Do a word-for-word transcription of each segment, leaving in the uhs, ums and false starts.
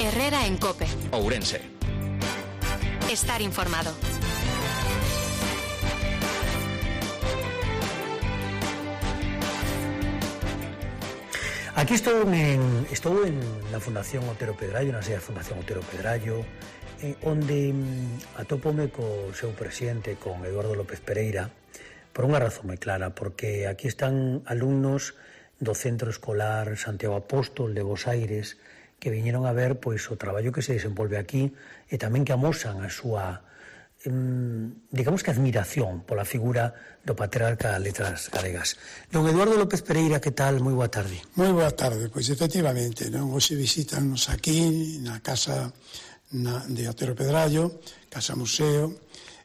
Herrera en COPE. Ourense. Estar informado. Aquí estou en, estou en la Fundación Otero Pedrallo, na sede da Fundación Otero Pedrallo, eh, onde mm, atópome co seu presidente, con Eduardo López Pereira, por unha razón moi clara, porque aquí están alumnos do Centro Escolar Santiago Apóstol de Bos Aires que viñeron a ver pois o traballo que se desenvolve aquí e tamén que amosan a súa digamos que admiración pola figura do patriarca das letras galegas. Don Eduardo López Pereira, que tal? Moi boa tarde. Moi boa tarde, pois efectivamente, non? Hoxe visítanos aquí na casa na, de Otero Pedrallo, casa museo,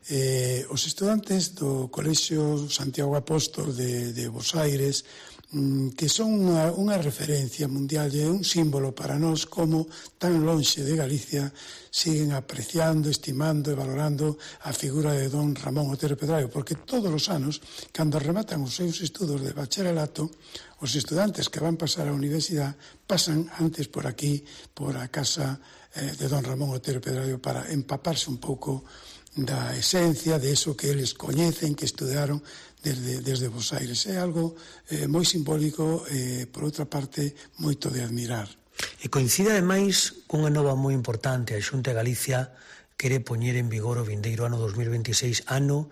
eh, os estudantes do Colexio Santiago Apóstol de, de Bos Aires, que son unha, unha referencia mundial e un símbolo para nós como tan lonxe de Galicia siguen apreciando, estimando e valorando a figura de don Ramón Otero Pedrallo, porque todos os anos, cando rematan os seus estudos de bacharelato, os estudantes que van pasar á universidade pasan antes por aquí, por a casa eh, de don Ramón Otero Pedrallo para empaparse un pouco da esencia de eso que eles coñecen, que estudaron desde, desde Bos Aires. É algo eh, moi simbólico e, eh, por outra parte, moito de admirar. E coincide, ademais, cunha nova moi importante. A Xunta de Galicia quere poñer en vigor o vindeiro ano dos mil veintiséis, ano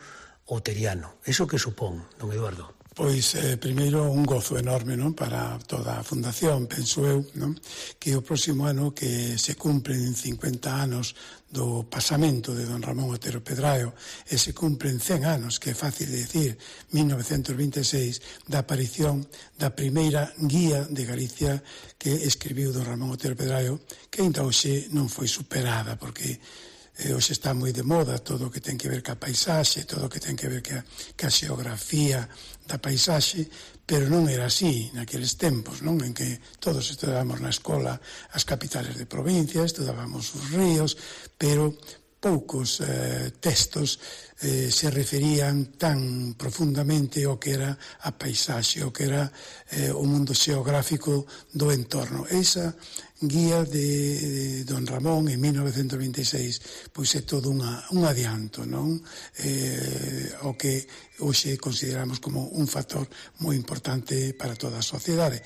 oteriano. Eso que supón, don Eduardo? Pois, eh, primeiro, un gozo enorme, non, para toda a Fundación, penso eu, non, que o próximo ano que se cumplen cincuenta anos do pasamento de don Ramón Otero Pedrallo e se cumplen cen anos, que é fácil de decir, mil novecentos veintiséis, da aparición da primeira guía de Galicia que escribiu don Ramón Otero Pedrallo, que ainda hoxe non foi superada, porque Eh, hoxe está moi de moda todo o que ten que ver ca paisaxe, todo o que ten que ver ca, ca xeografía da paisaxe, pero non era así naqueles tempos, non? En que todos estudábamos na escola as capitales de provincia, estudábamos os ríos, pero poucos eh, textos eh, se referían tan profundamente ao que era a paisaxe, ao que era eh, o mundo xeográfico do entorno. Esa guía de, de don Ramón en mil novecentos veintiséis pois é todo unha, un adianto, non? Eh, o que hoxe consideramos como un factor moi importante para toda a sociedade.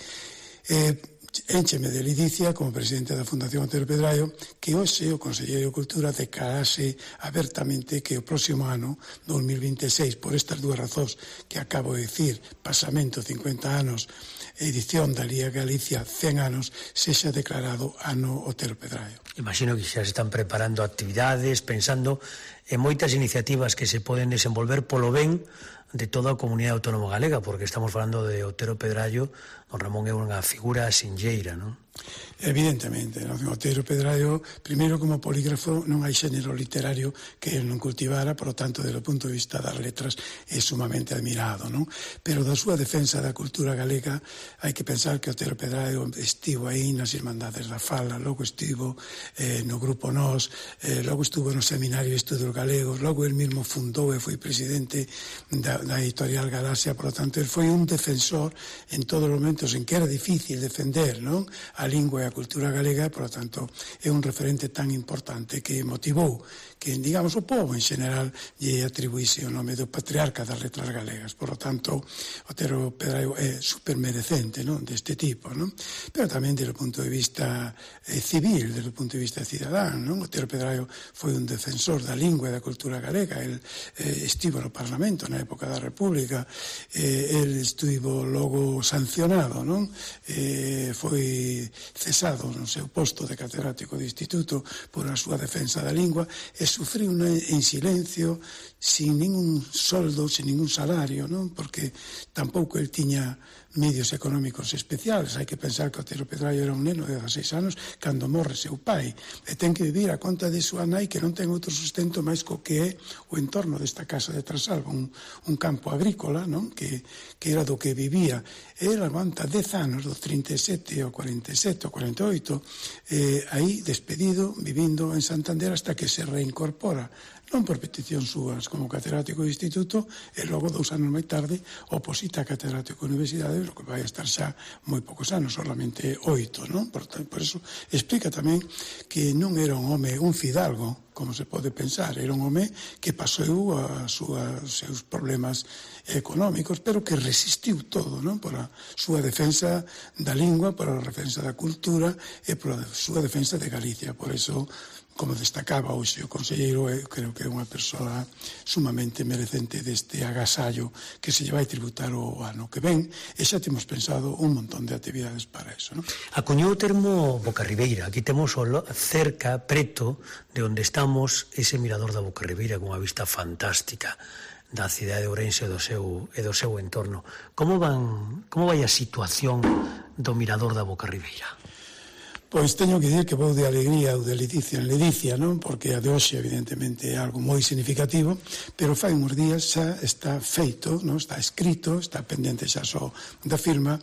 Eh, Éncheme de ledicia como presidente da Fundación Otero Pedrallo que hoxe o Conselleiro de Cultura declarase abertamente que o próximo ano, dos mil veintiséis, por estas dúas razóns que acabo de dicir, pasamento cincuenta anos, edición da Liga Galicia cen anos, sexa declarado ano Otero Pedrallo. Imagino que xa se están preparando actividades, pensando en moitas iniciativas que se poden desenvolver polo ben de toda a comunidade autónoma galega, porque estamos falando de Otero Pedrallo. Don Ramón é unha figura sinxeira, non? Evidentemente, non? Otero Pedrallo, primeiro como polígrafo non hai xénero literario que el non cultivara, por lo tanto, desde o punto de vista das letras é sumamente admirado, non? Pero da súa defensa da cultura galega hai que pensar que Otero Pedrallo estivo aí nas Irmandades da Fala, logo estivo eh, no Grupo Nós, eh, logo estuvo no Seminario de Estudos Galegos, logo el mismo fundou e foi presidente da, da editorial Galaxia, por lo tanto, el foi un defensor en todos os momentos en que era difícil defender, non? A lingua e a cultura galega, por lo tanto, é un referente tan importante que motivou que, digamos, o povo en general lle atribuíse o nome do patriarca das letras galegas. Por lo tanto, Otero Pedrallo é supermerecente, non? Deste tipo, non? Pero tamén desde o punto de vista eh, civil, desde o punto de vista cidadán, non? Otero Pedrallo foi un defensor da lingua e da cultura galega. El eh, estivo no Parlamento na época da República, eh, el estivo logo sancionado, non? Eh, foi cesado no seu posto de catedrático de instituto por a súa defensa da lingua e sufriu en silencio, sin ningún soldo, sin ningún salario, non? Porque tampouco el tiña medios económicos especiales. Hai que pensar que Otero Pedrallo era un neno de dezaseis anos cando morre seu pai e ten que vivir a conta de súa nai, que non ten outro sustento máis co que é o entorno desta casa de Trasalba, un, un campo agrícola, non? Que, que era do que vivía. E ele aguanta dez anos, dos trinta e sete ao cuarenta e sete ao cuarenta e oito, eh, aí despedido, vivindo en Santander hasta que se reincorpora non por petición súas como catedrático de instituto, e logo dous anos máis tarde oposita a catedrático de universidade, o que vai estar xa moi poucos anos, solamente oito, non? Por, por eso explica tamén que non era un home, un fidalgo, como se pode pensar, era un home que pasou a súa, os seus problemas económicos, pero que resistiu todo, non? Por a súa defensa da lingua, por a defensa da cultura e por a súa defensa de Galicia. Por eso, como destacaba hoxe o conselleiro, eu creo que é unha persoa sumamente merecente deste agasallo que se lle vai tributar o ano que ven, e xa temos pensado un montón de actividades para eso, non? Acuñou o termo Bocarribeira. Aquí temos cerca, preto, de onde estamos, ese mirador da Bocarribeira con unha vista fantástica da cidade de Ourense e do seu, e do seu entorno. Como van, como vai a situación do mirador da Bocarribeira? Pois teño que dir que vou de alegría ou de ledicia en ledicia, non? Porque a de hoxe, evidentemente, é algo moi significativo, pero fai uns días xa está feito, non? Está escrito, está pendente xa só da firma,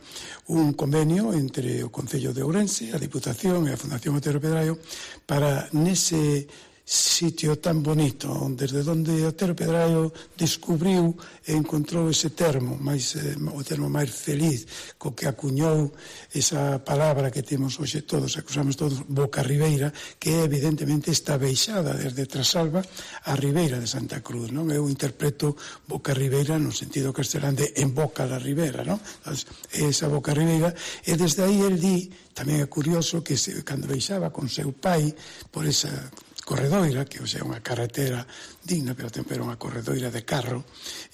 un convenio entre o Concello de Ourense, a Diputación e a Fundación Otero Pedraio para nese sitio tan bonito, desde onde Otero Pedraio descubriu e encontrou ese termo, máis, eh, o termo máis feliz, co que acuñou esa palabra que temos hoxe todos, que usamos todos, Bocarribeira, que é evidentemente esta beixada desde Trasalba a Ribeira de Santa Cruz, non? Eu interpreto Bocarribeira no sentido castelán de en boca da ribera, non? Esa Bocarribeira, e desde aí el di, tamén é curioso, que se, cando beixaba con seu pai por esa corredoira, que hoxe é unha carretera digna, pero tempo era unha corredoira de carro,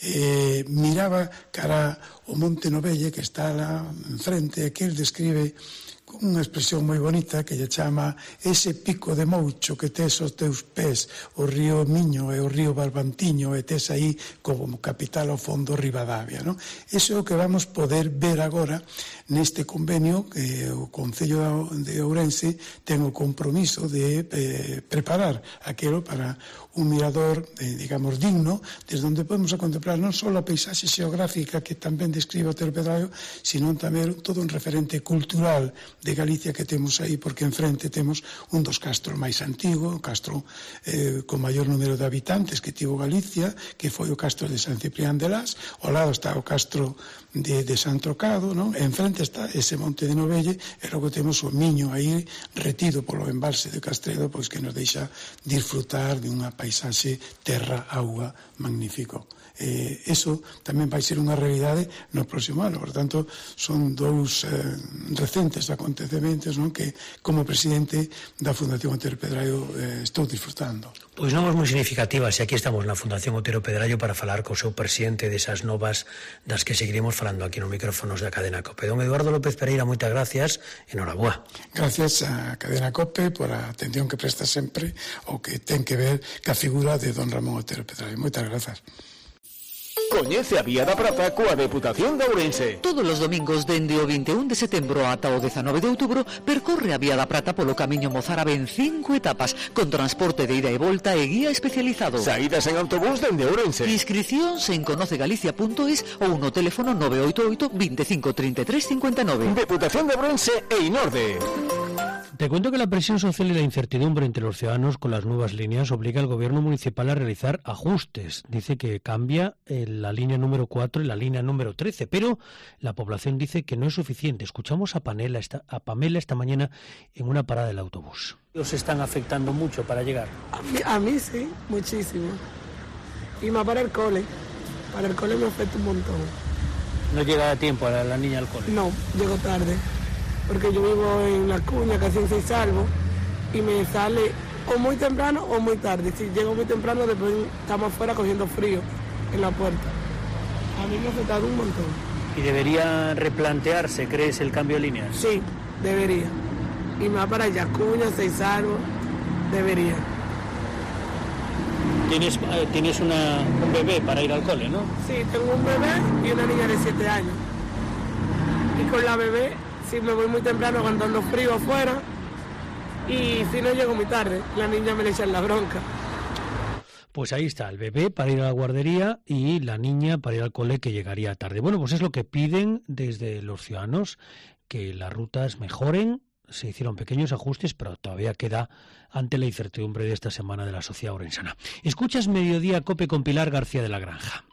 eh, miraba cara o Monte Novelle que está lá enfrente, e que el describe con unha expresión moi bonita que lle chama ese pico de moucho que tes aos teus pés, o río Miño e o río Barbantiño, e tes aí como capital ao fondo Ribadavia, non? Iso é o que vamos poder ver agora neste convenio que o Concello de Ourense ten o compromiso de eh, preparar aquilo para un mirador, eh, digamos, digno, desde onde podemos a contemplar non só a paisaxe xeográfica que tamén describe Otero Pedraio, sino tamén todo un referente cultural de Galicia que temos aí, porque enfrente temos un dos castros máis antigos, o castro eh, con maior número de habitantes que tivo Galicia, que foi o castro de San Ciprián de Las, ao lado está o castro de, de San Trocado, non? E enfrente está ese Monte de Novelle, e logo temos o Miño aí retido polo embalse de Castredo, pois que nos deixa disfrutar de unha paisaxe terra-auga magnífico. Eh, eso tamén vai ser unha realidade no próximo ano, por tanto son dous eh, recentes acontecementos, non? Que como presidente da Fundación Otero Pedraio eh, estou disfrutando. Pois novas moi significativas, e aquí estamos na Fundación Otero Pedraio para falar co seu presidente desas novas das que seguiremos falando aquí nos micrófonos da Cadena COPE. Don Eduardo López Pereira, moitas gracias, enhoraboa. Gracias a Cadena COPE por a atención que presta sempre o que ten que ver ca figura de don Ramón Otero Pedraio. Moitas grazas. Coñece a Vía da Prata coa Deputación de Ourense. Todos os domingos dende o vinte e un de setembro ata o dezanove de outubro percorre a Vía da Prata polo camiño mozárabe en cinco etapas con transporte de ida e volta e guía especializado. Saídas en autobús dende Ourense. Inscricións en conocegalicia punto es ou no teléfono nove oito oito, veinticinco, treinta y tres, cincuenta y nueve. Deputación de Ourense e Inorde. Te cuento que la presión social y la incertidumbre entre los ciudadanos con las nuevas líneas obliga al gobierno municipal a realizar ajustes. Dice que cambia la línea número cuatro y la línea número trece, pero la población dice que no es suficiente. Escuchamos a, Panela esta, a Pamela esta mañana en una parada del autobús. ¿Os están afectando mucho para llegar? A mí, a mí sí, muchísimo. Y más para el cole. Para el cole me afecta un montón. ¿No llega a tiempo a la, la niña al cole? No, llego tarde. Porque yo vivo en La Cuña, casi en Seis Salvos, y me sale o muy temprano o muy tarde. Si llego muy temprano, después estamos afuera cogiendo frío en la puerta. A mí me ha afectado un montón. ¿Y debería replantearse, crees, el cambio de línea? Sí, debería. Y más para Yacuña, Seis Salvos, debería. ¿Tienes, eh, tienes una, un bebé para ir al cole, no? Sí, tengo un bebé y una niña de siete años. Y con la bebé, si me voy muy temprano aguantando frío afuera, y si no llego muy tarde, la niña me le echa la bronca. Pues ahí está, el bebé para ir a la guardería y la niña para ir al cole, que llegaría tarde. Bueno, pues es lo que piden desde los ciudadanos, que las rutas mejoren, se hicieron pequeños ajustes, pero todavía queda ante la incertidumbre de esta semana de la sociedad orensana. Escuchas Mediodía Cope con Pilar García de la Granja.